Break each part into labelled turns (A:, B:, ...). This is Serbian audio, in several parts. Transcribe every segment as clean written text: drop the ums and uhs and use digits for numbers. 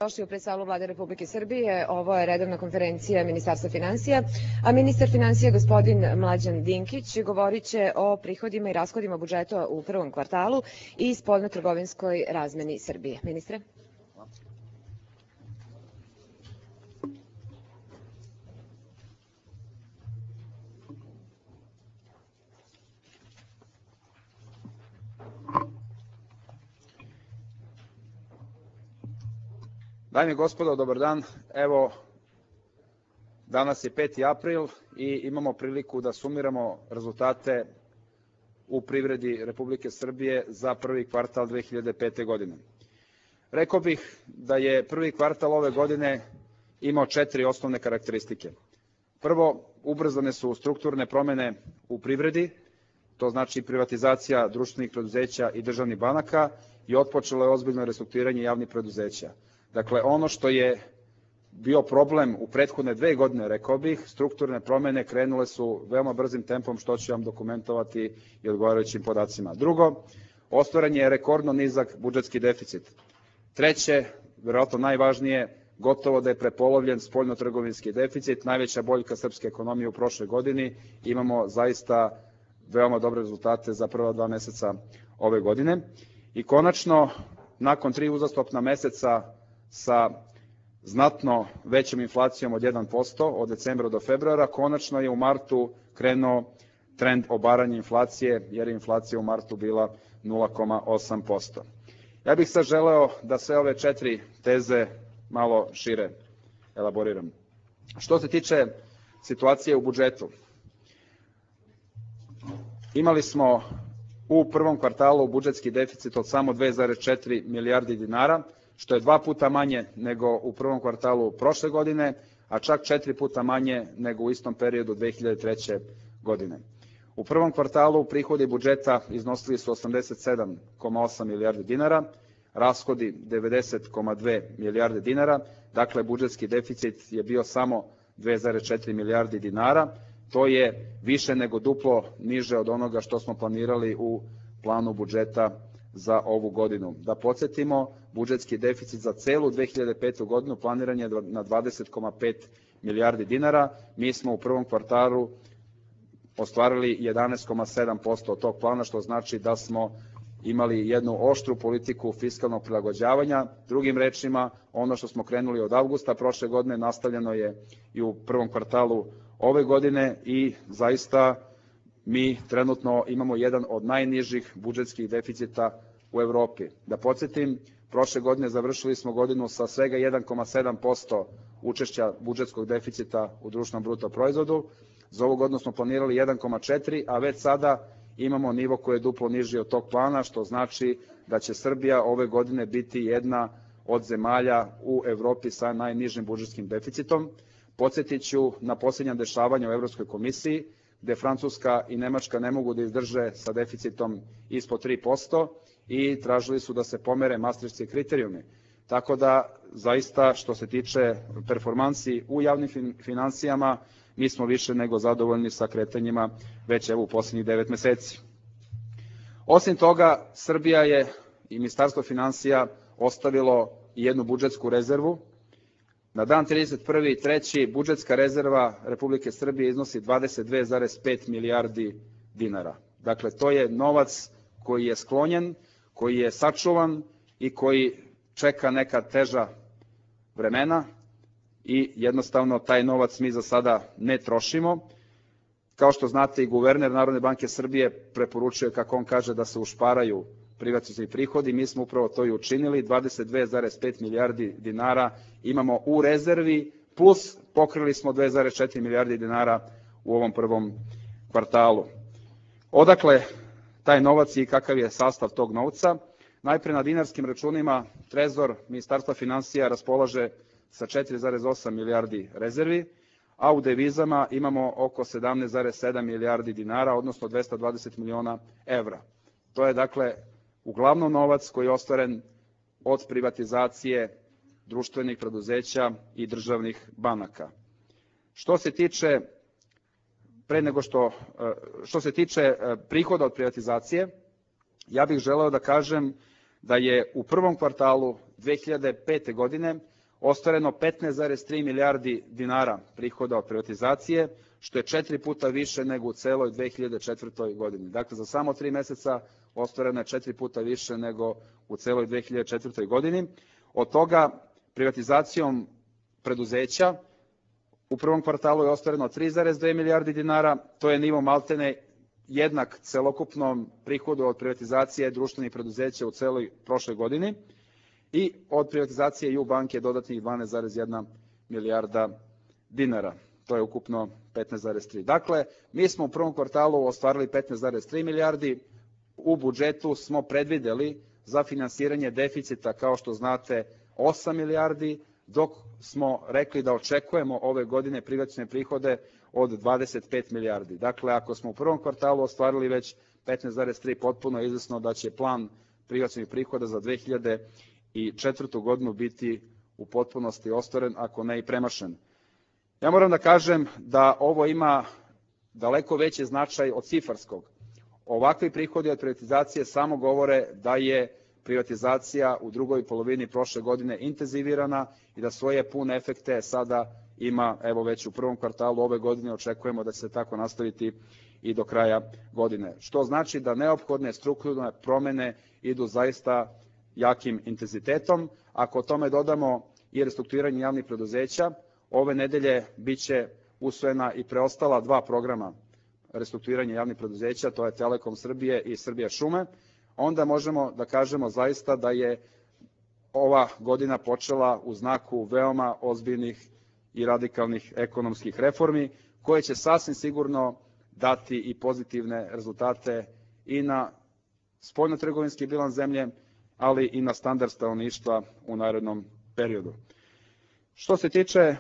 A: Došli u predsalu Vlade Republike Srbije. Ovo je redovna konferencija Ministarstva finansija, a ministar finansija gospodin Mlađan Dinkić govorit će o prihodima i rashodima budžeta u prvom kvartalu i spoljnotrgovinskoj razmeni Srbije. Ministre.
B: Dame i gospodo, dobar dan. Evo, danas je 5. april i imamo priliku da sumiramo rezultate u privredi Republike Srbije za prvi kvartal 2005. godine. Rekao bih da je prvi kvartal ove godine imao 4 osnovne karakteristike. Prvo, ubrzane su strukturne promene u privredi, to znači privatizacija društvenih preduzeća i državnih banaka i otpočelo je ozbiljno restrukturiranje javnih preduzeća. Dakle, ono što je bio problem u prethodne 2 godine, rekao bih, strukturne promene krenule su veoma brzim tempom, što ću vam dokumentovati i odgovarajućim podacima. Drugo, ostvaren je rekordno nizak budžetski deficit. Treće, verovatno najvažnije, gotovo da je prepolovljen spoljnotrgovinski deficit, najveća boljka srpske ekonomije u prošloj godini. Imamo zaista veoma dobre rezultate za prva 2 meseca ove godine. I konačno, nakon 3 uzastopna meseca sa znatno većom inflacijom od 1% od decembra do februara, konačno je u martu krenuo trend obaranja inflacije, jer je inflacija u martu bila 0,8%. Ja bih sad želeo da sve ove 4 teze malo šire elaboriram. Što se tiče situacije u budžetu, imali smo u prvom kvartalu budžetski deficit od samo 2,4 milijardi dinara, što je 2 puta manje nego u prvom kvartalu prošle godine, a čak 4 puta manje nego u istom periodu 2003. godine. U prvom kvartalu prihodi budžeta iznosili su 87,8 milijardi dinara, rashodi 90,2 milijarde dinara, dakle budžetski deficit je bio samo 2,4 milijardi dinara, to je više nego duplo niže od onoga što smo planirali u planu budžeta za ovu godinu. Da podsjetimo, budžetski deficit za celu 2005. godinu planiran je na 20,5 milijardi dinara. Mi smo u prvom kvartalu ostvarili 11,7% od tog plana, što znači da smo imali jednu oštru politiku fiskalnog prilagođavanja. Drugim rečima, ono što smo krenuli od avgusta prošle godine nastavljeno je i u prvom kvartalu ove godine i zaista mi trenutno imamo jedan od najnižih budžetskih deficita u Evropi. Da podsjetim, prošle godine završili smo godinu sa svega 1,7% učešća budžetskog deficita u društvenom bruto proizvodu. Za ovu godinu smo planirali 1,4, a već sada imamo nivo koji je duplo niži od tog plana, što znači da će Srbija ove godine biti jedna od zemalja u Evropi sa najnižim budžetskim deficitom. Podsjetit ću na posljednja dešavanja u Evropskoj komisiji, gde Francuska i Nemačka ne mogu da izdrže sa deficitom ispod 3% i tražili su da se pomere mastrihtski kriterijumi. Tako da, zaista, što se tiče performansi u javnim finansijama, mi smo više nego zadovoljni sa kretanjima već evo u poslednjih 9 meseci. Osim toga, Srbija je i Ministarstvo finansija ostavilo i jednu budžetsku rezervu. Na dan 31.3. budžetska rezerva Republike Srbije iznosi 22,5 milijardi dinara. Dakle, to je novac koji je sklonjen, koji je sačuvan i koji čeka neka teža vremena i jednostavno taj novac mi za sada ne trošimo. Kao što znate, i guverner Narodne banke Srbije preporučuje, kako on kaže, da se ušparaju privatizacioni prihodi. Mi smo upravo to i učinili, 22,5 milijardi dinara imamo u rezervi, plus pokrili smo 2,4 milijardi dinara u ovom prvom kvartalu. Odakle taj novac i kakav je sastav tog novca? Najpre na dinarskim računima Trezor Ministarstva finansija raspolaže sa 4,8 milijardi rezervi, a u devizama imamo oko 17,7 milijardi dinara, odnosno 220 miliona evra. To je dakle uglavnom novac koji je ostvaren od privatizacije društvenih preduzeća i državnih banaka. Što se tiče prihoda od privatizacije, ja bih želeo da kažem da je u prvom kvartalu 2005. godine ostvareno 15,3 milijardi dinara prihoda od privatizacije, što je 4 puta više nego u celoj 2004. godini. Dakle, za samo 3 meseca ostvareno je 4 puta više nego u celoj 2004. godini. Od toga privatizacijom preduzeća u prvom kvartalu je ostvareno 3,2 milijardi dinara, to je nivo maltene jednak celokupnom prihodu od privatizacije društvenih preduzeća u celoj prošloj godini i od privatizacije EU banke dodatnih 12,1 milijarda dinara. To je ukupno 15,3. Dakle, mi smo u prvom kvartalu ostvarili 15,3 milijardi, u budžetu smo predvideli za finansiranje deficita, kao što znate, 8 milijardi, dok smo rekli da očekujemo ove godine privatizacione prihode od 25 milijardi. Dakle, ako smo u prvom kvartalu ostvarili već 15,3, potpuno je izvesno da će plan privatizacionih prihoda za 2004. godinu biti u potpunosti ostvaren, ako ne i premašen. Ja moram da kažem da ovo ima daleko veći značaj od cifarskog. Ovakvi prihodi od privatizacije samo govore da je privatizacija u drugoj polovini prošle godine intenzivirana i da svoje pune efekte sada ima, evo već u prvom kvartalu ove godine, očekujemo da će se tako nastaviti i do kraja godine. Što znači da neophodne strukturne promene idu zaista jakim intenzitetom. Ako tome dodamo i restrukturiranje javnih preduzeća, ove nedelje biće usvojena i preostala 2 programa restrukturiranja javnih preduzeća, to je Telekom Srbije i Srbija šume, onda možemo da kažemo zaista da je ova godina počela u znaku veoma ozbiljnih i radikalnih ekonomskih reformi, koje će sasvim sigurno dati i pozitivne rezultate i na spoljnotrgovinski bilans zemlje, ali i na standard stanovništva u narednom periodu. Što se tiče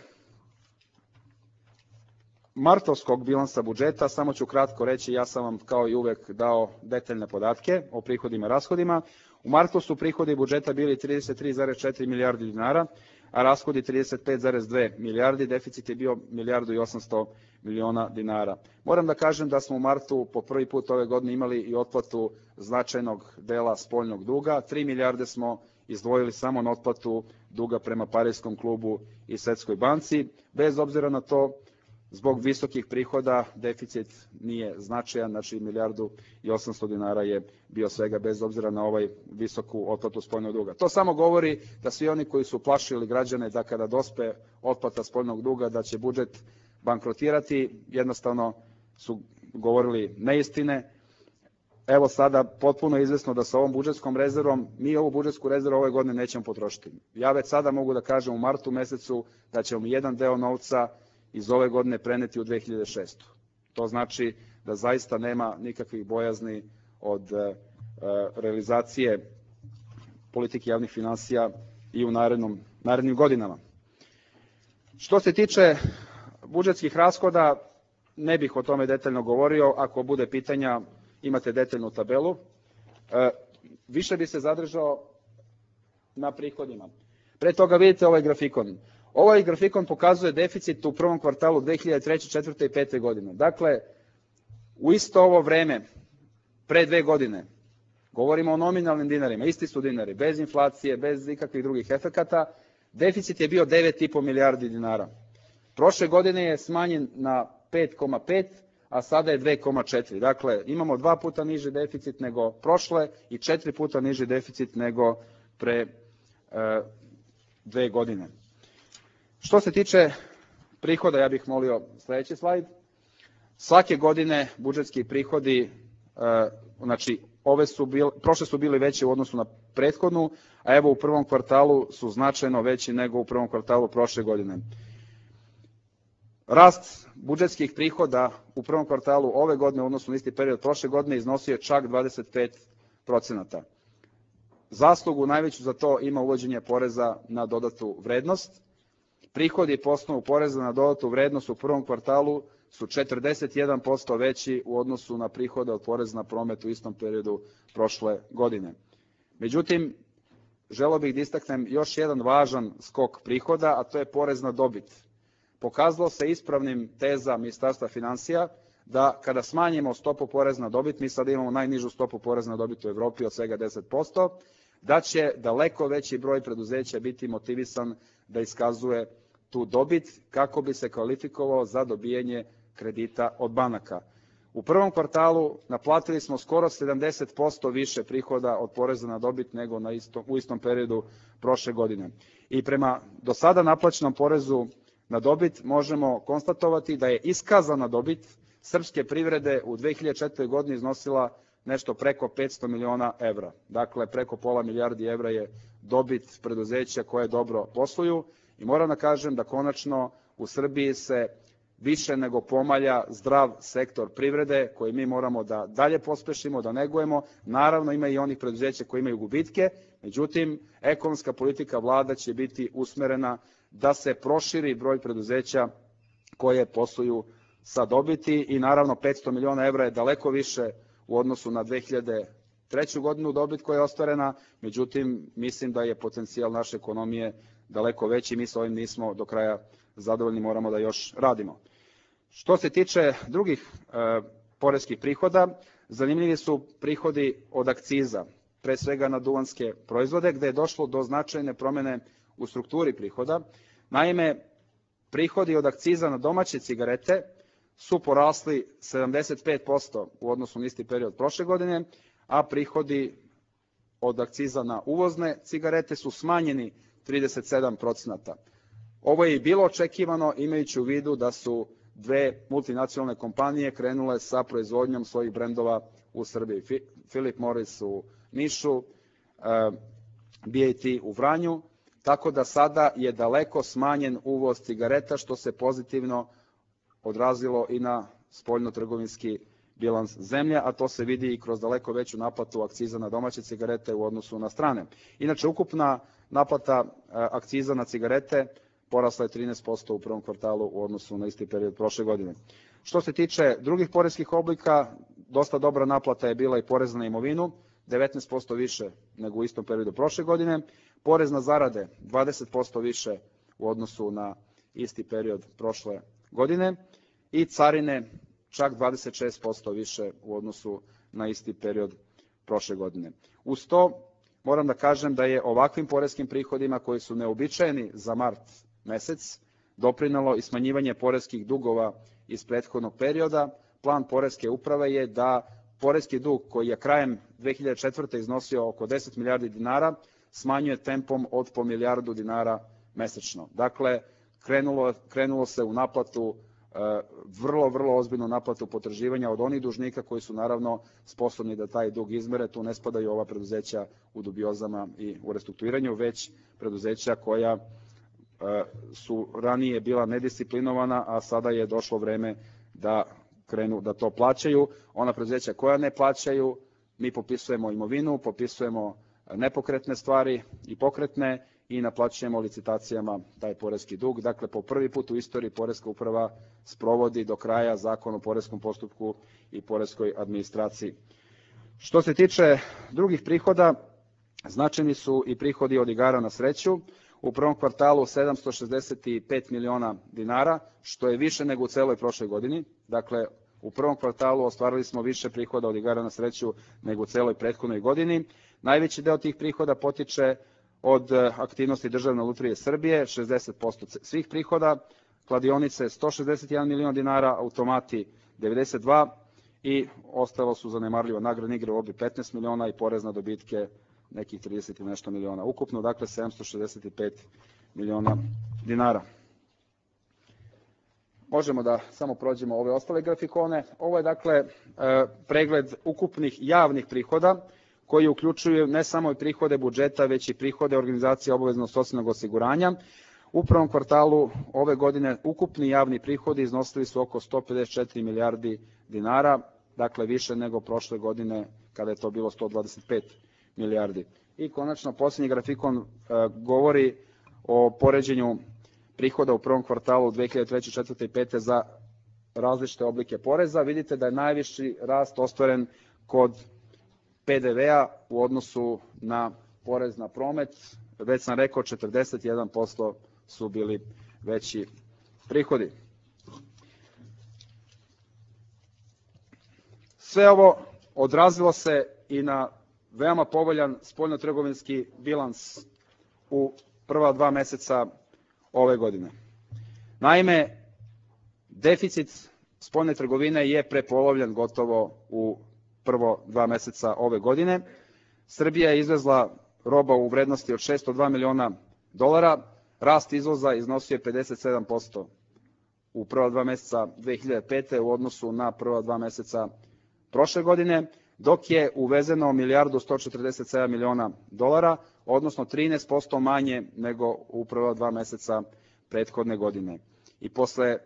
B: martovskog bilansa budžeta, samo ću kratko reći, ja sam vam kao i uvek dao detaljne podatke o prihodima i rashodima. U martu su prihodi budžeta bili 33,4 milijardi dinara, a rashodi 35,2 milijardi, deficit je bio 1,8 milijardi dinara. Moram da kažem da smo u martu po prvi put ove godine imali i otplatu značajnog dela spoljnog duga. 3 milijarde smo izdvojili samo na otplatu duga prema Pariskom klubu i Svetskoj banci. Bez obzira na to, zbog visokih prihoda deficit nije značajan, znači 1,8 milijardi dinara je bio svega, bez obzira na ovaj visoku otplatu spoljnog duga. To samo govori da svi oni koji su plašili građane da kada dospe otplata spoljnog duga da će budžet bankrotirati, jednostavno su govorili neistine. Evo sada potpuno je izvesno da sa ovom budžetskom rezervom, mi ovu budžetsku rezervu ove godine nećemo potrošiti. Ja već sada mogu da kažem u martu mesecu da ćemo jedan deo novca iz ove godine preneti u 2006. To znači da zaista nema nikakvih bojazni od realizacije politike javnih finansija i u narednim godinama. Što se tiče budžetskih rashoda, ne bih o tome detaljno govorio, ako bude pitanja imate detaljnu tabelu. Više bi se zadržao na prihodima. Pre toga vidite ovaj grafikon. Ovaj grafikon pokazuje deficit u prvom kvartalu 2003., 2004. i 2005. godine. Dakle, u isto ovo vreme, pre 2 godine, govorimo o nominalnim dinarima, isti su dinari, bez inflacije, bez ikakvih drugih efekata, deficit je bio 9,5 milijardi dinara. Prošle godine je smanjen na 5,5, a sada je 2,4. Dakle, imamo 2 puta niži deficit nego prošle i 4 puta niži deficit nego pre 2 godine. Što se tiče prihoda, ja bih molio sledeći slajd. Svake godine budžetski prihodi, znači prošle su bili veći u odnosu na prethodnu, a evo u prvom kvartalu su značajno veći nego u prvom kvartalu prošle godine. Rast budžetskih prihoda u prvom kvartalu ove godine u odnosu na isti period prošle godine iznosio je čak 25%. Zaslugu najveću za to ima uvođenje poreza na dodatu vrednost. Prihodi po osnovu poreza na dodatu vrednost u prvom kvartalu su 41% veći u odnosu na prihode od poreza na promet u istom periodu prošle godine. Međutim, želeo bih da istaknem još jedan važan skok prihoda, a to je porez na dobit. Pokazalo se ispravnim teza Ministarstva finansija da kada smanjimo stopu poreza na dobit, mi sada imamo najnižu stopu poreza na dobit u Evropi od svega 10%, da će daleko veći broj preduzeća biti motivisan da iskazuje tu dobit kako bi se kvalifikovao za dobijanje kredita od banaka. U prvom kvartalu naplatili smo skoro 70% više prihoda od poreza na dobit nego u istom periodu prošle godine. I prema do sada naplaćenom porezu na dobit možemo konstatovati da je iskazana dobit srpske privrede u 2004. godini iznosila nešto preko 500 miliona evra. Dakle, preko pola milijardi evra je dobit preduzeća koje dobro posluju i moram da kažem da konačno u Srbiji se više nego pomalja zdrav sektor privrede koji mi moramo da dalje pospešimo, da negujemo. Naravno, ima i onih preduzeća koji imaju gubitke, međutim, ekonomska politika vlada će biti usmerena da se proširi broj preduzeća koje posluju sa dobiti i naravno 500 miliona evra je daleko više u odnosu na 2003. godinu dobit koja je ostvarena, međutim, mislim da je potencijal naše ekonomije daleko veći, mi sa ovim nismo do kraja zadovoljni, moramo da još radimo. Što se tiče drugih poreskih prihoda, zanimljivi su prihodi od akciza, pre svega na duvanske proizvode, gde je došlo do značajne promene u strukturi prihoda. Naime, prihodi od akciza na domaće cigarete su porasli 75% u odnosu na isti period prošle godine, a prihodi od akciza na uvozne cigarete su smanjeni 37%. Ovo je i bilo očekivano imajući u vidu da su dve multinacionalne kompanije krenule sa proizvodnjom svojih brendova u Srbiji. Philip Morris u Nišu, BAT u Vranju, tako da sada je daleko smanjen uvoz cigareta, što se pozitivno odrazilo i na spoljnotrgovinski bilans zemlje, a to se vidi i kroz daleko veću naplatu akciza na domaće cigarete u odnosu na strane. Inače, ukupna naplata akciza na cigarete porasla je 13% u prvom kvartalu u odnosu na isti period prošle godine. Što se tiče drugih poreskih oblika, dosta dobra naplata je bila i porez na imovinu, 19% više nego u istom periodu prošle godine, porez na zarade 20% više u odnosu na isti period prošle godine i carine čak 26% više u odnosu na isti period prošle godine. Uz to moram da kažem da je ovakvim poreskim prihodima koji su neobičajeni za mart mesec doprinelo i smanjivanje poreskih dugova iz prethodnog perioda. Plan poreske uprave je da poreski dug koji je krajem 2004. iznosio oko 10 milijardi dinara smanjuje tempom od po milijardu dinara mesečno. Dakle, krenulo se u naplatu, vrlo ozbiljnu naplatu potraživanja od onih dužnika koji su naravno sposobni da taj dug izmere. Tu ne spadaju ova preduzeća u dubiozama i u restrukturiranju, već preduzeća koja su ranije bila nedisciplinovana, a sada je došlo vreme da krenu da to plaćaju. Ona preduzeća koja ne plaćaju, mi popisujemo imovinu, popisujemo nepokretne stvari i pokretne i naplaćujemo licitacijama taj poreski dug. Dakle, po prvi put u istoriji poreska uprava sprovodi do kraja Zakon o poreskom postupku i poreskoj administraciji. Što se tiče drugih prihoda, značajni su i prihodi od igara na sreću. U prvom kvartalu 765 miliona dinara, što je više nego u celoj prošloj godini. Dakle, u prvom kvartalu ostvarili smo više prihoda od igara na sreću nego u celoj prethodnoj godini. Najveći deo tih prihoda potiče od aktivnosti Državne lutrije Srbije, 60% svih prihoda, kladionice 161 milion dinara, automati 92 i ostalo su zanemarljivo nagradne igre u obi 15 miliona i porez na dobitke nekih 30 i nešto miliona. Ukupno, dakle, 765 miliona dinara. Možemo da samo prođemo ove ostale grafikone. Ovo je, dakle, pregled ukupnih javnih prihoda koji uključuju ne samo i prihode budžeta, već i prihode organizacije obaveznog socijalnog osiguranja. U prvom kvartalu ove godine ukupni javni prihodi iznosili su oko 154 milijardi dinara, dakle više nego prošle godine kada je to bilo 125 milijardi. I konačno, posljednji grafikon govori o poređenju prihoda u prvom kvartalu 2003. 4. i 5. za različite oblike poreza. Vidite da je najviši rast ostvaren kod PDV-a u odnosu na porez na promet. Već sam rekao, 41% su bili veći prihodi. Sve ovo odrazilo se i na veoma povoljan spoljnotrgovinski bilans u prva 2 meseca ove godine. Naime, deficit spoljne trgovine je prepolovljen gotovo u prvo 2 meseca ove godine. Srbija je izvezla roba u vrednosti od $602 miliona, rast izvoza iznosio je 57% u prva 2 meseca 2005. u odnosu na prva 2 meseca prošle godine, dok je uvezeno $1.147 miliona, odnosno 13% manje nego u prva 2 meseca prethodne godine. I posle,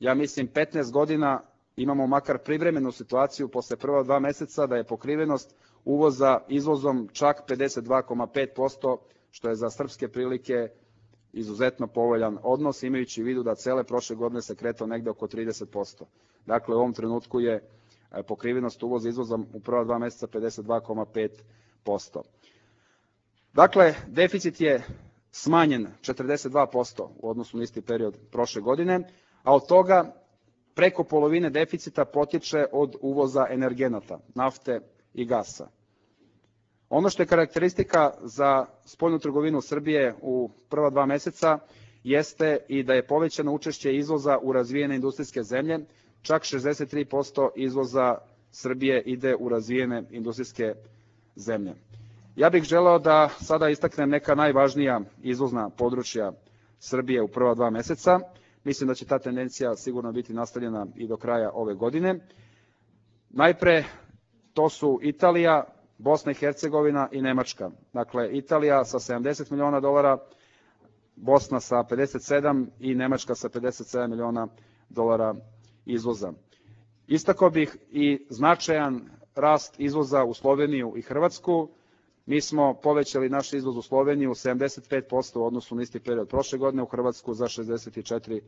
B: ja mislim, 15 godina imamo makar privremenu situaciju posle prva 2 meseca da je pokrivenost uvoza izvozom čak 52,5%, što je za srpske prilike izuzetno povoljan odnos, imajući u vidu da cele prošle godine se kretao negde oko 30%. Dakle, u ovom trenutku je pokrivenost uvoza izvozom u prva 2 meseca 52,5%. Dakle, deficit je smanjen 42% u odnosu na isti period prošle godine, a od toga preko polovine deficita potiče od uvoza energenata, nafte i gasa. Ono što je karakteristika za spoljnu trgovinu Srbije u prva 2 meseca jeste i da je povećano učešće izvoza u razvijene industrijske zemlje, čak 63% izvoza Srbije ide u razvijene industrijske zemlje. Ja bih želeo da sada istaknem neka najvažnija izvozna područja Srbije u prva 2 meseca. Mislim da će ta tendencija sigurno biti nastavljena i do kraja ove godine. Najpre, to su Italija, Bosna i Hercegovina i Nemačka. Dakle, Italija sa $70 miliona, Bosna sa 57 i Nemačka sa $57 miliona izvoza. Istakao bih i značajan rast izvoza u Sloveniju i Hrvatsku. Mi smo povećali naš izvoz u Sloveniju 75% u odnosu na isti period prošle godine, u Hrvatsku za 64%.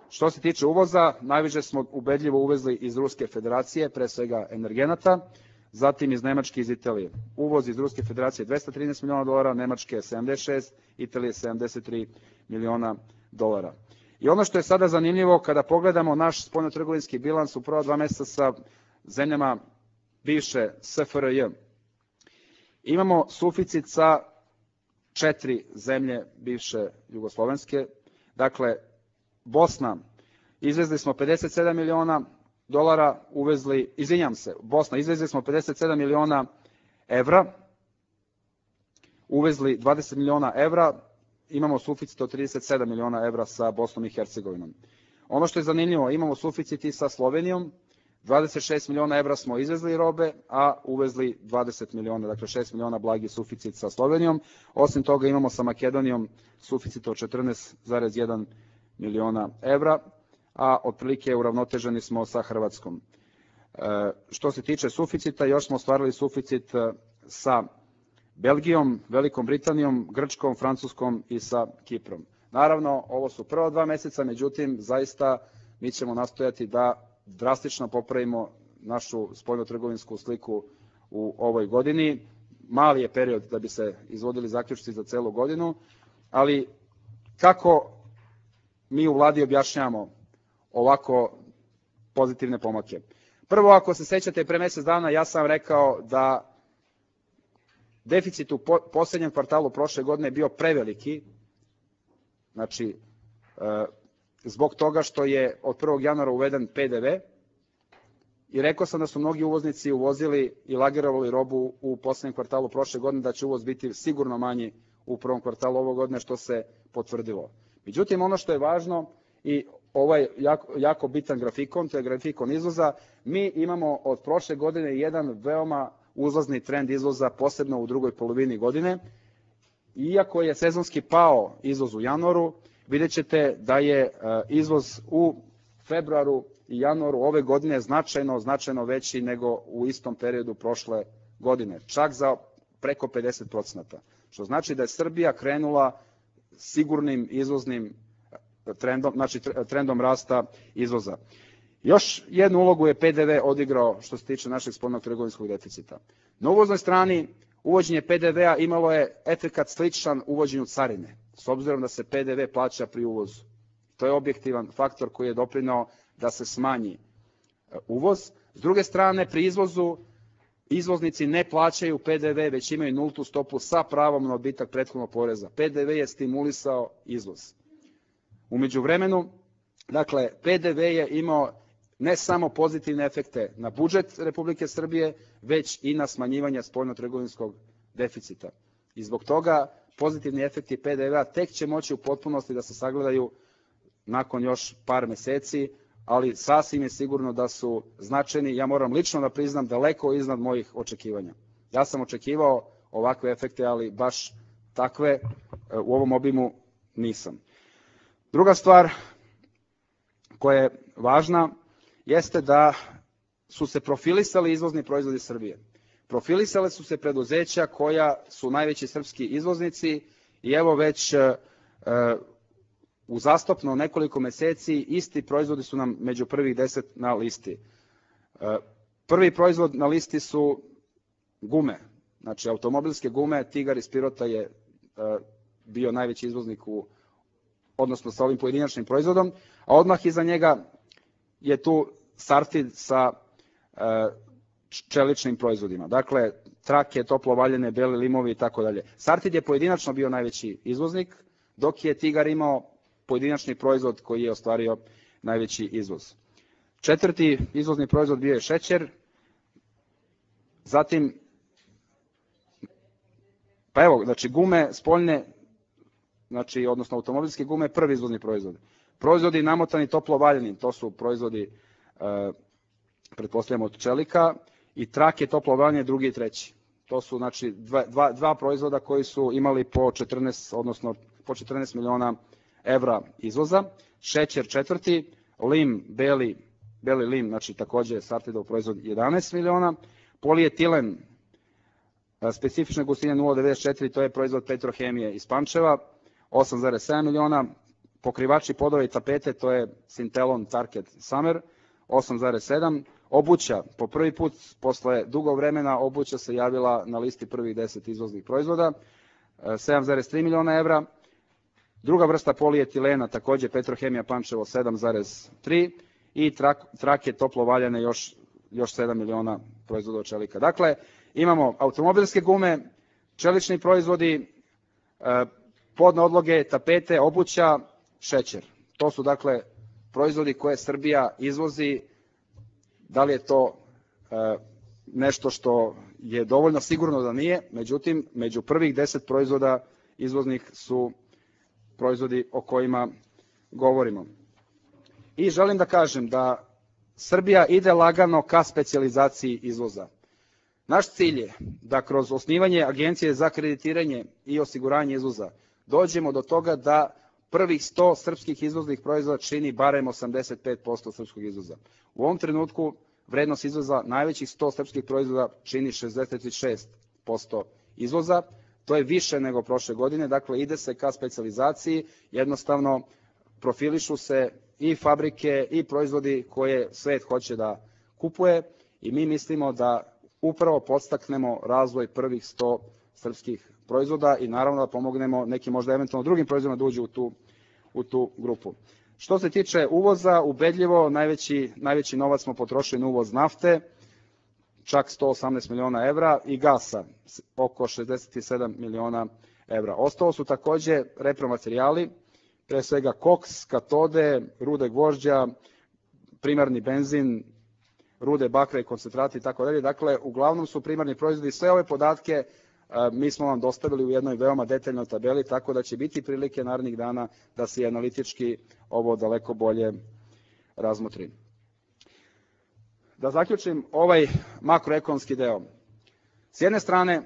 B: Što se tiče uvoza, najviše smo ubedljivo uvezli iz Ruske federacije, pre svega energenata, zatim iz Nemačke i iz Italije. Uvoz iz Ruske federacije $213 miliona, Nemačke 76, Italije 73 miliona dolara. I ono što je sada zanimljivo, kada pogledamo naš spoljnotrgovinski bilans u prva 2 meseca sa zemljama bivše SFRJ, imamo suficit sa 4 zemlje bivše jugoslovenske. Dakle, Bosna, izvezli smo $57 miliona, Bosna, izvezli smo 57 miliona evra, uvezli 20 miliona evra, imamo suficit od 37 miliona evra sa Bosnom i Hercegovinom. Ono što je zanimljivo, imamo suficit i sa Slovenijom, 26 miliona evra smo izvezli robe, a uvezli 20 miliona, dakle 6 miliona blagi suficit sa Slovenijom. Osim toga imamo sa Makedonijom suficit od 14,1 miliona evra, a otprilike uravnoteženi smo sa Hrvatskom. Što se tiče suficita, još smo ostvarili suficit sa Belgijom, Velikom Britanijom, Grčkom, Francuskom i sa Kiprom. Naravno, ovo su prva 2 meseca, međutim, zaista mi ćemo nastojati da drastično popravimo našu spoljnotrgovinsku sliku u ovoj godini. Mali je period da bi se izvodili zaključci za celu godinu, ali kako mi u vladi objašnjavamo ovako pozitivne pomake? Prvo, ako se sećate, pre mesec dana ja sam rekao da deficit u poslednjem kvartalu prošle godine je bio preveliki, znači zbog toga što je od 1. januara uveden PDV, i rekao sam da su mnogi uvoznici uvozili i lagerovali robu u poslednjem kvartalu prošle godine, da će uvoz biti sigurno manji u prvom kvartalu ove godine, što se potvrdilo. Međutim, ono što je važno i ovaj jako bitan grafikon, to je grafikon izvoza, mi imamo od prošle godine jedan veoma uzlazni trend izvoza, posebno u drugoj polovini godine. Iako je sezonski pao izvoz u januaru, vidjet ćete da je izvoz u februaru i januaru ove godine značajno veći nego u istom periodu prošle godine, čak za preko 50%, što znači da je Srbija krenula sigurnim izvoznim trendom, znači trendom rasta izvoza. Još jednu ulogu je PDV odigrao što se tiče našeg spoljnog trgovinskog deficita. Na uvoznoj strani uvođenje PDV-a imalo je efekat sličan uvođenju carine, s obzirom da se PDV plaća pri uvozu. To je objektivan faktor koji je doprineo da se smanji uvoz. S druge strane, pri izvozu izvoznici ne plaćaju PDV, već imaju nultu stopu sa pravom na odbitak prethodnog poreza. PDV je stimulisao izvoz. U međuvremenu, dakle, PDV je imao ne samo pozitivne efekte na budžet Republike Srbije, već i na smanjivanje spoljnotrgovinskog deficita. I zbog toga pozitivni efekti PDV-a tek će moći u potpunosti da se sagledaju nakon još par meseci, ali sasvim je sigurno da su značajni. Ja moram lično da priznam daleko iznad mojih očekivanja. Ja sam očekivao ovakve efekte, ali baš takve u ovom obimu nisam. Druga stvar koja je važna jeste da su se profilisali izvozni proizvodi Srbije. Profilisale su se preduzeća koja su najveći srpski izvoznici i evo već uzastopno nekoliko meseci isti proizvodi su nam među prvih 10 na listi. Prvi proizvod na listi su gume, znači automobilske gume. Tigar iz Pirota je bio najveći izvoznik odnosno sa ovim pojedinačnim proizvodom, a odmah iza njega je tu Sartid sa čeličnim proizvodima. Dakle, trake, toplo valjene, beli limovi i tako dalje. Sartid je pojedinačno bio najveći izvoznik, dok je Tigar imao pojedinačni proizvod koji je ostvario najveći izvoz. Četvrti izvozni proizvod bio je šećer, zatim, pa evo, znači gume spoljne, znači, odnosno automobilske gume, prvi izvozni proizvod. Proizvodi namotani toplo valjeni, to su proizvodi, pretpostavljamo, od čelika, i trake toplo valjene, drugi i treći. To su, znači, dva proizvoda koji su imali po 14, odnosno po 14 miliona evra izvoza. Šećer četvrti, lim, beli lim, znači takođe Sartidov proizvod 11 miliona, polietilen, specifične gustine 0,94, to je proizvod Petrohemije iz Pančeva, 8,7 miliona, pokrivači podova i tapete, to je Sintelon Target Summer, 8,7, obuća, po prvi put posle dugo vremena obuća se javila na listi prvih 10 izvoznih proizvoda, 7,3 miliona evra, druga vrsta polietilena, takođe Petrohemija Pančevo, 7,3 i trake toplo valjane još 7 miliona proizvoda od čelika. Dakle, imamo automobilske gume, čelični proizvodi, podne odloge, tapete, obuća, šećer. To su, dakle, proizvodi koje Srbija izvozi. Da li je to nešto što je dovoljno? Sigurno da nije, međutim, među prvih 10 proizvoda izvoznih su proizvodi o kojima govorimo. I želim da kažem da Srbija ide lagano ka specijalizaciji izvoza. Naš cilj je da kroz osnivanje Agencije za kreditiranje i osiguranje izvoza dođemo do toga da prvih 100 srpskih izvoznih proizvoda čini barem 85% srpskog izvoza. U ovom trenutku vrednost izvoza najvećih 100 srpskih proizvoda čini 66% izvoza. To je više nego prošle godine, dakle ide se ka specijalizaciji, jednostavno profilišu se i fabrike i proizvodi koje svet hoće da kupuje i mi mislimo da upravo podstaknemo razvoj prvih 100 srpskih proizvoda i naravno da pomognemo nekim možda eventualno drugim proizvodima da uđu u tu grupu. Što se tiče uvoza, ubedljivo najveći novac smo potrošili na uvoz nafte, čak 118 miliona evra, i gasa, oko 67 miliona evra. Ostalo su takođe repromaterijali, pre svega koks, katode, rude gvožđa, primarni benzin, rude bakra i koncentrati i tako dalje. Dakle, uglavnom su primarni proizvodi. Sve ove podatke mi smo vam dostavili u jednoj veoma detaljnoj tabeli, tako da će biti prilike narednih dana da se analitički ovo daleko bolje razmotri. Da zaključim ovaj makroekonomski deo. S jedne strane,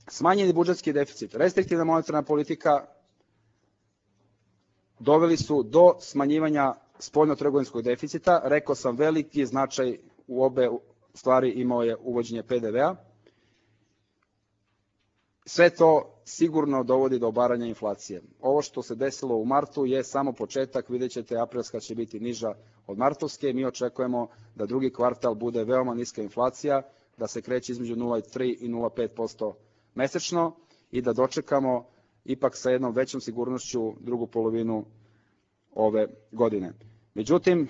B: smanjeni budžetski deficit, restriktivna monetarna politika doveli su do smanjivanja spoljnotrgovinskog deficita. Rekao sam, veliki značaj u obe stvari imao je uvođenje PDV-a. Sve to sigurno dovodi do obaranja inflacije. Ovo što se desilo u martu je samo početak, vidjet ćete, aprilska će biti niža od martovske. Mi očekujemo da drugi kvartal bude veoma niska inflacija, da se kreće između 0,3 i 0,5% mesečno i da dočekamo ipak sa jednom većom sigurnošću drugu polovinu ove godine. Međutim,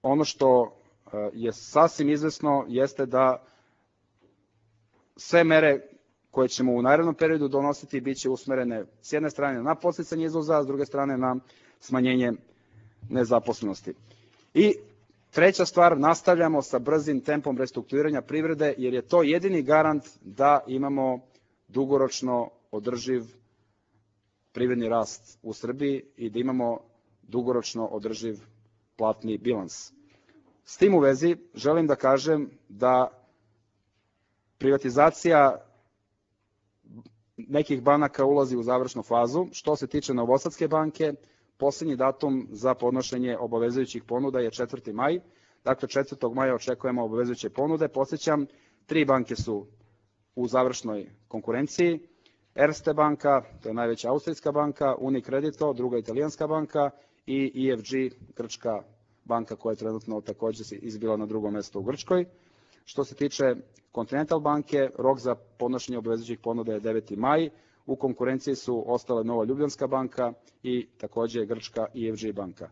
B: ono što je sasvim izvesno jeste da sve mere koje ćemo u narednom periodu donositi bit će usmerene s jedne strane na podsticanje izvoza, a s druge strane na smanjenje nezaposlenosti. I treća stvar, nastavljamo sa brzim tempom restrukturiranja privrede, jer je to jedini garant da imamo dugoročno održiv privredni rast u Srbiji i da imamo dugoročno održiv platni bilans. S tim u vezi želim da kažem da privatizacija nekih banaka ulazi u završnu fazu. Što se tiče Novosadske banke, posljednji datum za podnošenje obavezujućih ponuda je 4. maj. Dakle, 4. maja očekujemo obavezujuće ponude. Podsjećam, 3 banke su u završnoj konkurenciji. Erste banka, to je najveća austrijska banka, Unicredito, druga italijanska banka i EFG, grčka banka koja je trenutno također izbila na drugom mjestu u Grčkoj. Što se tiče Continental banke, rok za podnošenje obavezujućih ponuda je 9. maj. U konkurenciji su ostale Nova Ljubljanska banka i također grčka EFG banka.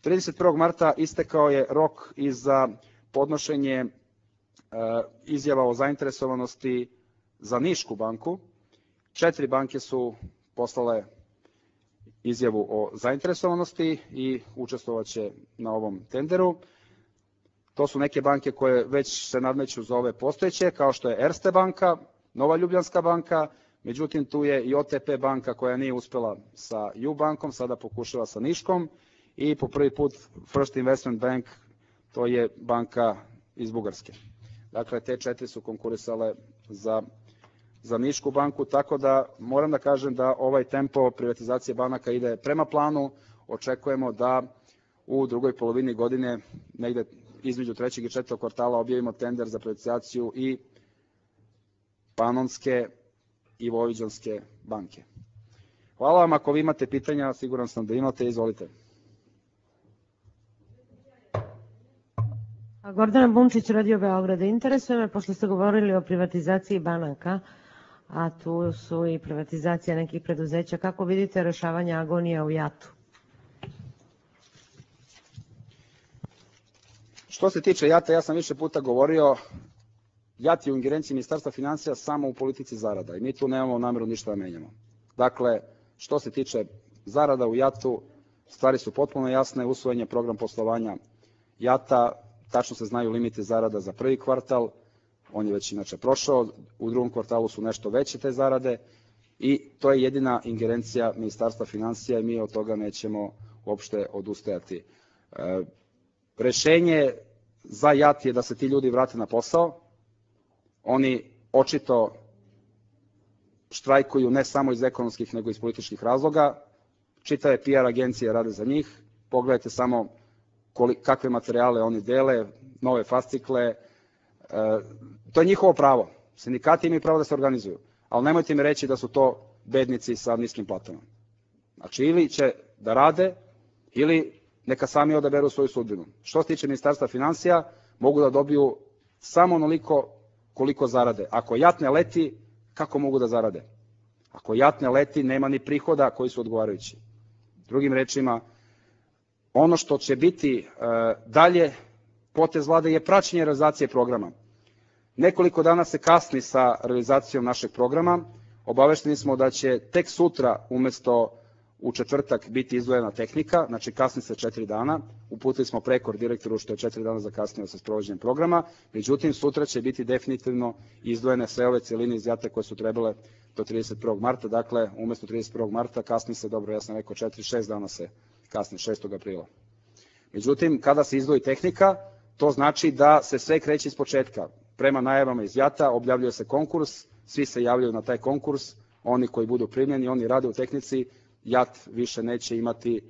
B: 31. marta istekao je rok i za podnošenje izjava o zainteresovanosti za Nišku banku. 4 banke su poslale izjavu o zainteresovanosti i učestvovaće na ovom tenderu. To su neke banke koje već se nadmeću za ove postojeće, kao što je Erste banka, Nova Ljubljanska banka, međutim tu je i OTP banka koja nije uspjela sa U bankom, sada pokušava sa Niškom i po prvi put First Investment Bank, to je banka iz Bugarske. Dakle, te 4 su konkurisale za Nišku banku, tako da moram da kažem da ovaj tempo privatizacije banaka ide prema planu. Očekujemo da u drugoj polovini godine, negde između 3. i 4. kvartala, objavimo tender za privatizaciju i Panonske i Vojvođanske banke. Hvala vam, ako vi imate pitanja, siguran sam da imate, izvolite.
C: Gordana Bunčić, Radio Beograd. Interesuje me, pošto ste govorili o privatizaciji banaka, a tu su i privatizacija nekih preduzeća, kako vidite rešavanje agonija u JAT-u?
B: Što se tiče JAT-a, ja sam više puta govorio, JAT je u ingerenciji Ministarstva finansija samo u politici zarada i mi tu nemamo nameru ništa da menjamo. Dakle, što se tiče zarada u JAT-u, stvari su potpuno jasne, usvojen je program poslovanja JAT-a, tačno se znaju limiti zarada za prvi kvartal, on je već inače prošao, u drugom kvartalu su nešto veće te zarade i to je jedina ingerencija Ministarstva finansija i mi od toga nećemo uopšte odustajati. Rešenje za JAT je da se ti ljudi vrate na posao. Oni očito štrajkuju ne samo iz ekonomskih nego i iz političkih razloga. Čitave PR agencije rade za njih. Pogledajte samo kakve materijale oni dele, nove fascikle. To je njihovo pravo. Sindikati imaju pravo da se organizuju, ali nemojte mi reći da su to bednici sa niskim platama. Znači, ili će da rade, ili neka sami odaberu svoju sudbinu. Što se tiče Ministarstva finansija, mogu da dobiju samo onoliko koliko zarade. Ako JAT ne leti, kako mogu da zarade? Ako JAT ne leti, nema ni prihoda koji su odgovarajući. Drugim rečima, ono što će biti dalje potez vlade je praćenje realizacije programa. Nekoliko dana se kasni sa realizacijom našeg programa. Obavešteni smo da će tek sutra umesto u četvrtak biti izdvojena tehnika, znači kasni se 4 dana. Uputili smo prekor direktoru što je 4 dana zakasnio sa sprovođenjem programa. Međutim, sutra će biti definitivno izdvojene sve ove cijeline iz JAT-a koje su trebale do 31. marta. Dakle, umesto 31. marta kasni se, dobro, ja sam rekao 4-6 dana se kasni, 6. aprila. Međutim, kada se izdvoji tehnika, to znači da se sve kreće iz početka. Prema najavama iz JAT-a objavljuje se konkurs, svi se javljaju na taj konkurs, oni koji budu primljeni, oni rade u tehnici, JAT više neće imati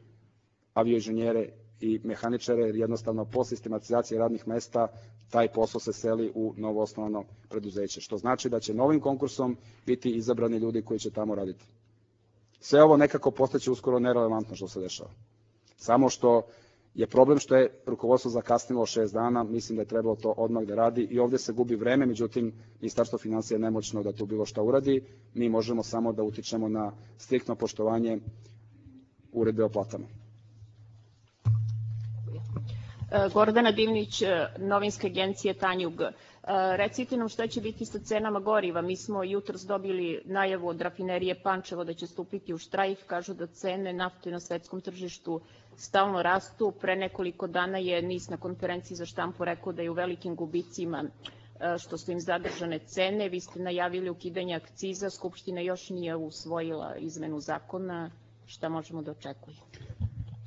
B: avioinženjere i mehaničare, jer jednostavno po sistematizaciji radnih mesta taj posao se seli u novoosnovano preduzeće, što znači da će novim konkursom biti izabrani ljudi koji će tamo raditi. Sve ovo nekako postaće uskoro nerelevantno što se dešava. Samo što je problem što je rukovodstvo zakasnilo 6 dana, mislim da je trebalo to odmah da radi i ovdje se gubi vreme, međutim, Ministarstvo finansija je nemoćno da tu bilo šta uradi, mi možemo samo da utičemo na striktno poštovanje uredbe o platama.
D: Gordana Divnić, novinska agencija Tanjug. Recite nam šta će biti sa cenama goriva. Mi smo jutros dobili najavu od rafinerije Pančevo da će stupiti u štrajk. Kažu da cene nafte na svetskom tržištu stalno rastu. Pre nekoliko dana je NIS na konferenciji za štampu rekao da je u velikim gubicima što su im zadržane cene. Vi ste najavili ukidanje akciza. Skupština još nije usvojila izmenu zakona. Šta možemo da očekujemo?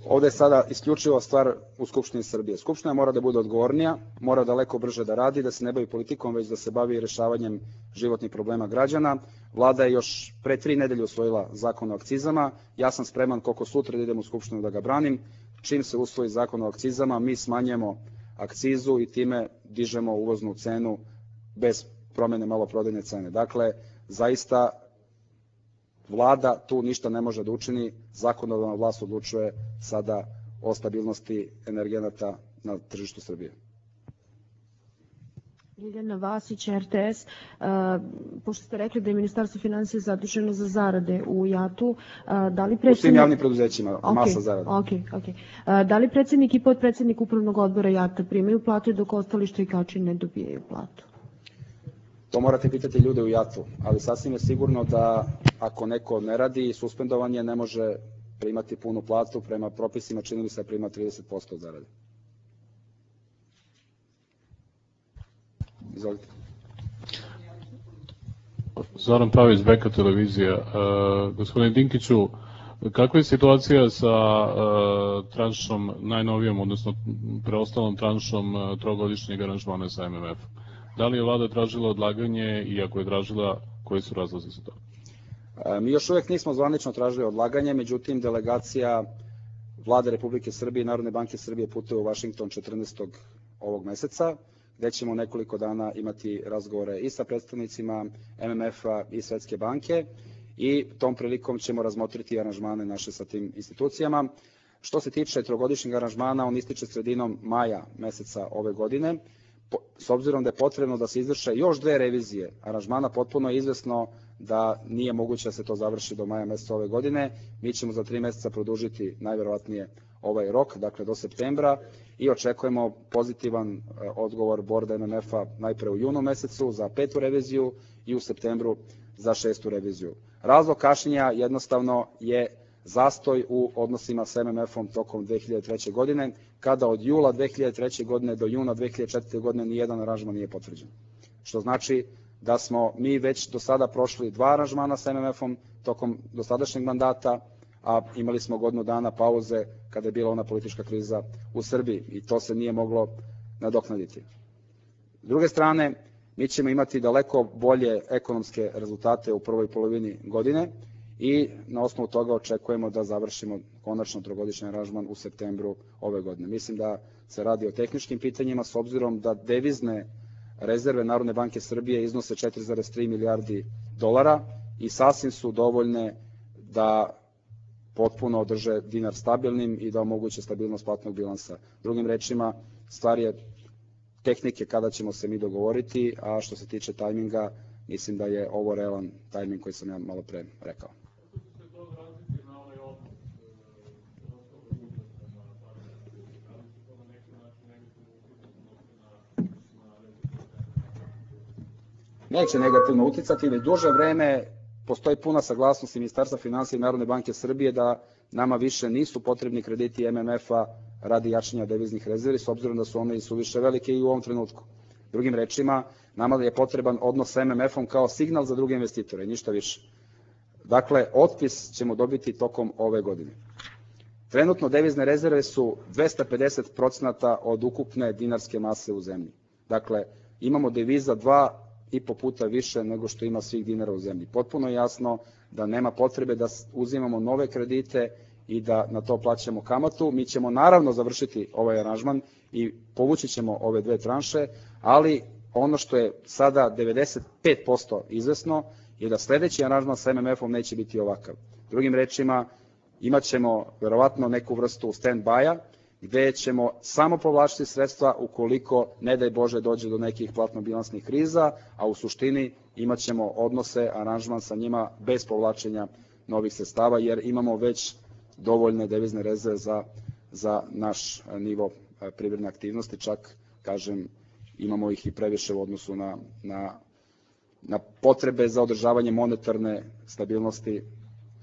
B: Ovde je sada isključivo stvar u Skupštini Srbije. Skupština mora da bude odgovornija, mora daleko brže da radi, da se ne bavi politikom, već da se bavi rešavanjem životnih problema građana. Vlada je još pre 3 nedelje usvojila zakon o akcizama. Ja sam spreman koliko sutra da idem u Skupštinu da ga branim. Čim se usvoji zakon o akcizama, mi smanjujemo akcizu i time dižemo uvoznu cenu bez promene maloprodajne cene. Dakle, zaista Vlada tu ništa ne može da učini, zakonodavna vlast odlučuje sada o stabilnosti energenata na tržištu Srbije.
E: Ljiljana Vasić, RTS. Pošto ste rekli da je Ministarstvo finansija zaduženo za zarade u JAT-u, da li predsednik... U svim
B: javnim preduzećima, masa zarada.
E: Da li predsednik i podpredsednik upravnog odbora JAT-a primaju plate dok ostali štrajkači ne dobijaju platu?
B: To morate pitati ljude u JAT-u, ali sasvim je sigurno da ako neko ne radi, suspendovan je, ne može primati punu platu, prema propisima čini mi se prima 30% zarade. Izvolite.
F: Zoran Pavić, Beka televizija. Gospodine Dinkiću, kakva je situacija sa tranšom najnovijom, odnosno preostalom tranšom trogodišnjeg aranžmana sa MMF-om? Da li je vlada tražila odlaganje i ako je tražila, koji su razlozi za to?
B: Mi još uvek nismo zvanično tražili odlaganje, međutim delegacija Vlade Republike Srbije i Narodne banke Srbije putuje u Vašington 14. ovog meseca, gde ćemo nekoliko dana imati razgovore i sa predstavnicima MMF-a i Svetske banke i tom prilikom ćemo razmotriti aranžmane naše sa tim institucijama. Što se tiče trogodišnjeg aranžmana, on ističe sredinom maja meseca ove godine. S obzirom da je potrebno da se izvrše još 2 revizije aranžmana, potpuno je izvesno da nije moguće da se to završi do maja meseca ove godine. Mi ćemo za 3 meseca produžiti najverovatnije ovaj rok, dakle do septembra, i očekujemo pozitivan odgovor borda MMF-a najpre u junu mesecu za 5. reviziju i u septembru za 6. reviziju. Razlog kašnjenja jednostavno je zastoj u odnosima sa MMF-om tokom 2003. godine, kada od jula 2003. godine do juna 2004. godine nijedan aranžman nije potvrđen. Što znači da smo mi već do sada prošli 2 aranžmana sa MMF-om tokom dosadašnjeg mandata, a imali smo godinu dana pauze kada je bila ona politička kriza u Srbiji i to se nije moglo nadoknaditi. S druge strane, mi ćemo imati daleko bolje ekonomske rezultate u prvoj polovini godine i na osnovu toga očekujemo da završimo konačno trogodišnji aranžman u septembru ove godine. Mislim da se radi o tehničkim pitanjima s obzirom da devizne rezerve Narodne banke Srbije iznose 4,3 milijardi dolara i sasvim su dovoljne da potpuno održe dinar stabilnim i da omoguće stabilnost platnog bilansa. Drugim rečima, stvar je tehnike kada ćemo se mi dogovoriti, a što se tiče tajminga, mislim da je ovo realan tajming koji sam ja malo pre rekao. Neće negativno uticati, već duže vreme postoji puna saglasnost Ministarstva finansija i Narodne banke Srbije da nama više nisu potrebni krediti MMF-a radi jačanja deviznih rezervi, s obzirom da su one i suviše velike i u ovom trenutku. Drugim rečima, nama je potreban odnos sa MMF-om kao signal za druge investitore, ništa više. Dakle, otpis ćemo dobiti tokom ove godine. Trenutno devizne rezerve su 250% od ukupne dinarske mase u zemlji. Dakle, imamo deviza 2,5 puta više nego što ima svih dinara u zemlji. Potpuno je jasno da nema potrebe da uzimamo nove kredite i da na to plaćamo kamatu. Mi ćemo naravno završiti ovaj aranžman i povući ćemo ove 2 tranše, ali ono što je sada 95% izvesno je da sledeći aranžman sa MMF-om neće biti ovakav. Drugim rečima, imat ćemo verovatno neku vrstu stand-by-a, gde ćemo samo povlačiti sredstva ukoliko, ne daj Bože, dođe do nekih platno-bilansnih kriza, a u suštini imat ćemo odnose, aranžman sa njima bez povlačenja novih sredstava, jer imamo već dovoljne devizne rezerve za naš nivo privredne aktivnosti, čak, kažem, imamo ih i previše u odnosu na potrebe za održavanje monetarne stabilnosti,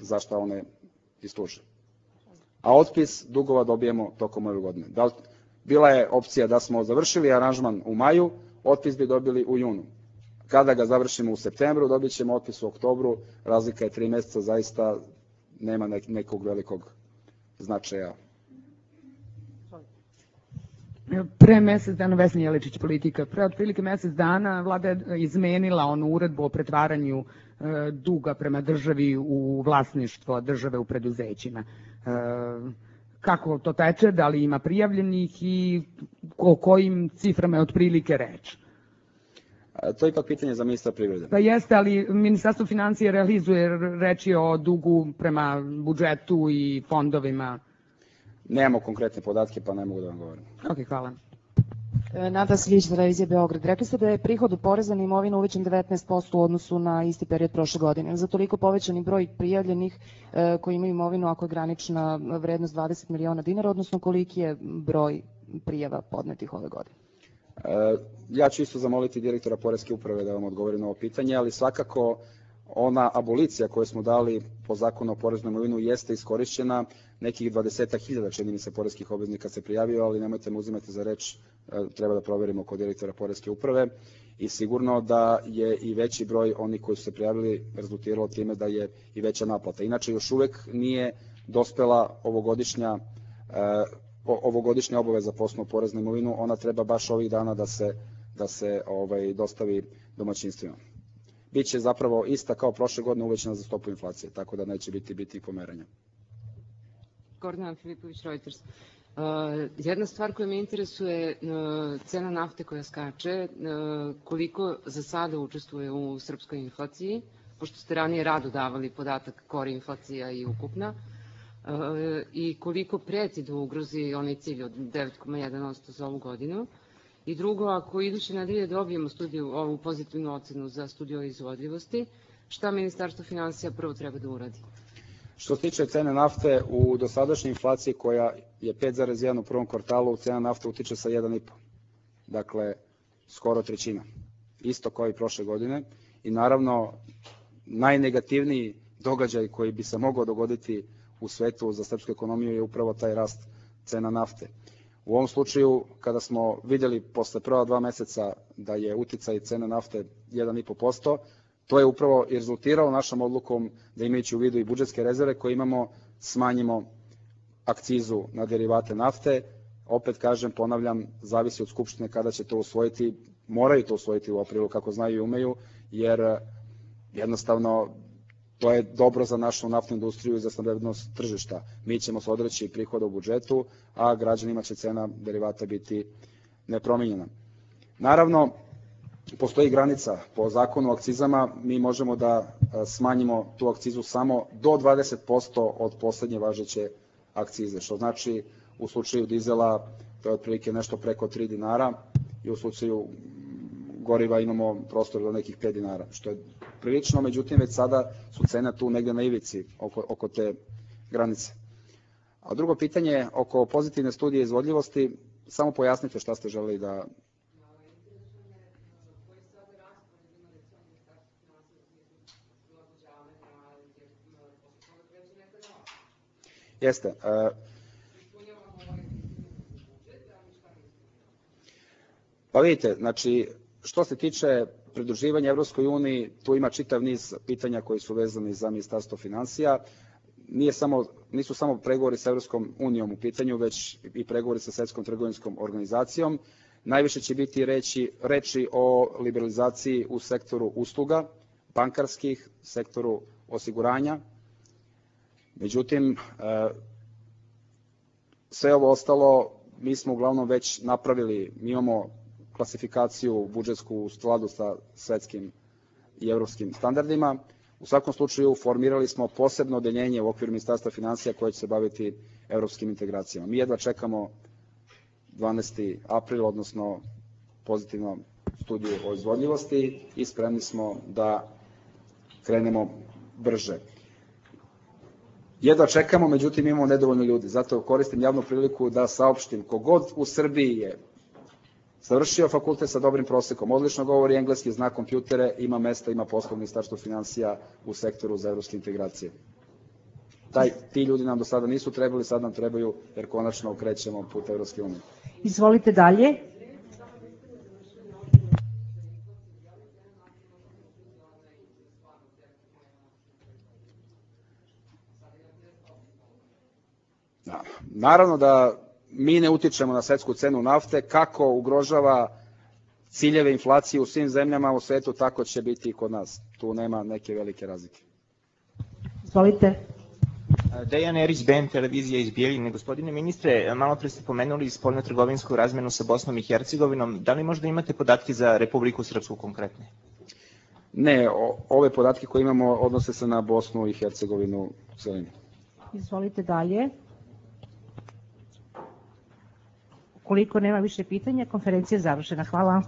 B: za šta one i služe. A otpis dugova dobijemo tokom ove godine. Bila je opcija da smo završili aranžman u maju, otpis bi dobili u junu. Kada ga završimo u septembru, dobit ćemo otpis u oktobru, razlika je 3 meseca, zaista nema nekog velikog značaja.
G: Pre mesec dana, Vesna Jeličić, Politika, pre otprilike mesec dana vlada je izmenila onu uredbu o pretvaranju duga prema državi u vlasništvo države u preduzećima. Kako to teče, da li ima prijavljenih i o kojim ciframa je otprilike reč?
B: To je ipak pitanje za ministra privrede.
G: Pa jeste, ali Ministarstvo financija realizuje, reč je o dugu prema budžetu i fondovima.
B: Nemamo konkretne podatke, pa ne mogu da vam govorim.
G: Ok, hvala.
H: Nada Slić, Televizija Beograd. Rekli ste da je prihod od poreza na imovinu uvećan 19% u odnosu na isti period prošle godine. Za toliko povećani broj prijavljenih koji imaju imovinu ako je granična vrednost 20 miliona dinara, odnosno koliki je broj prijava podnetih ove godine?
B: Ja ću isto zamoliti direktora Poreske uprave da vam odgovori na ovo pitanje, ali svakako ona abolicija koju smo dali po zakonu o porezu na imovinu jeste iskorišćena, nekih 20.000 čini mi se poreskih obveznika se prijavio, ali nemojte me uzimati za reč, treba da proverimo kod direktora Poreske uprave i sigurno da je i veći broj onih koji su se prijavili rezultiralo time da je i veća naplata. Inače, još uvek nije dospela ovogodišnja obaveza po osnovu poreza na imovinu, ona treba baš ovih dana da se dostavi domaćinstvima. Biće zapravo ista kao prošle godine uvećana za stopu inflacije, tako da neće biti pomeranja.
I: Gordana Filipović, Reuters. Jedna stvar koja me interesuje, cena nafte koja skače, koliko za sada učestvuje u srpskoj inflaciji, pošto ste ranije rado davali podatak kore inflacija i ukupna, i koliko preti da ugrozi onaj cilj od 9,1% za ovu godinu. I drugo, ako iduće nedelje dobijemo ovu pozitivnu ocenu za studiju o izvodljivosti, šta Ministarstvo finansija prvo treba da uradi?
B: Što se tiče cene nafte, u dosadašnjoj inflaciji koja je 5,1 u prvom kvartalu, cena nafte utiče sa 1,5. Dakle, skoro trećina. Isto kao i prošle godine. I naravno, najnegativniji događaj koji bi se mogao dogoditi u svetu za srpsku ekonomiju je upravo taj rast cena nafte. U ovom slučaju, kada smo vidjeli posle prva 2 meseca da je uticaj cene nafte 1,5%, to je upravo i rezultiralo našom odlukom da, imajući u vidu i budžetske rezerve koje imamo, smanjimo akcizu na derivate nafte. Opet kažem, ponavljam, zavisi od Skupštine kada će to usvojiti, moraju to usvojiti u aprilu kako znaju i umeju, jer jednostavno to je dobro za našu naftnu industriju i za stabilnost tržišta. Mi ćemo se odreći prihoda u budžetu, a građanima će cena derivata biti nepromenjena. Naravno, postoji granica po zakonu o akcizama, mi možemo da smanjimo tu akcizu samo do 20% od poslednje važeće akcize, što znači u slučaju dizela to je otprilike nešto preko 3 dinara i u slučaju goriva imamo prostor do nekih 5 dinara, što je prilično, međutim već sada su cene tu negde na ivici oko te granice. A drugo pitanje oko pozitivne studije izvodljivosti, samo pojasnite šta ste želeli da... Jeste. Pa vidite, znači, što se tiče pridruživanja Evropskoj uniji, tu ima čitav niz pitanja koji su vezani za Ministarstvo finansija. Nisu samo pregovori sa Evropskom unijom u pitanju, već i pregovori sa Svetskom trgovinskom organizacijom. Najviše će biti reči o liberalizaciji u sektoru usluga, bankarskih, sektoru osiguranja. Međutim, sve ovo ostalo mi smo uglavnom već napravili. Mi imamo klasifikaciju budžetsku u skladu sa svetskim i evropskim standardima. U svakom slučaju formirali smo posebno odeljenje u okviru Ministarstva finansija koje će se baviti evropskim integracijama. Mi jedva čekamo 12. april, odnosno pozitivnu studiju o izvodljivosti i spremni smo da krenemo brže. Jedva čekamo, međutim imamo nedovoljno ljudi. Zato koristim javnu priliku da saopštim kogod u Srbiji je završio fakultet sa dobrim prosekom, odlično govori engleski, zna kompjutere, ima mesta, ima posla u Ministarstvu finansija u sektoru za evropske integracije. Ti ljudi nam do sada nisu trebali, sad nam trebaju jer konačno okrećemo put Evropske unije.
C: Izvolite dalje.
B: Naravno da mi ne utičemo na svetsku cenu nafte, kako ugrožava ciljeve inflacije u svim zemljama u svetu, tako će biti i kod nas. Tu nema neke velike razlike.
C: Izvolite.
J: Dejan Erić, BN televizija iz Bijeljine. Gospodine ministre, malo pre ste pomenuli spoljno-trgovinsku razmenu sa Bosnom i Hercegovinom. Da li možda imate podatke za Republiku Srpsku konkretne?
B: Ne, ove podatke koje imamo odnose se na Bosnu i Hercegovinu u celini.
C: Izvolite dalje. Ukoliko nema više pitanja, konferencija je završena. Hvala.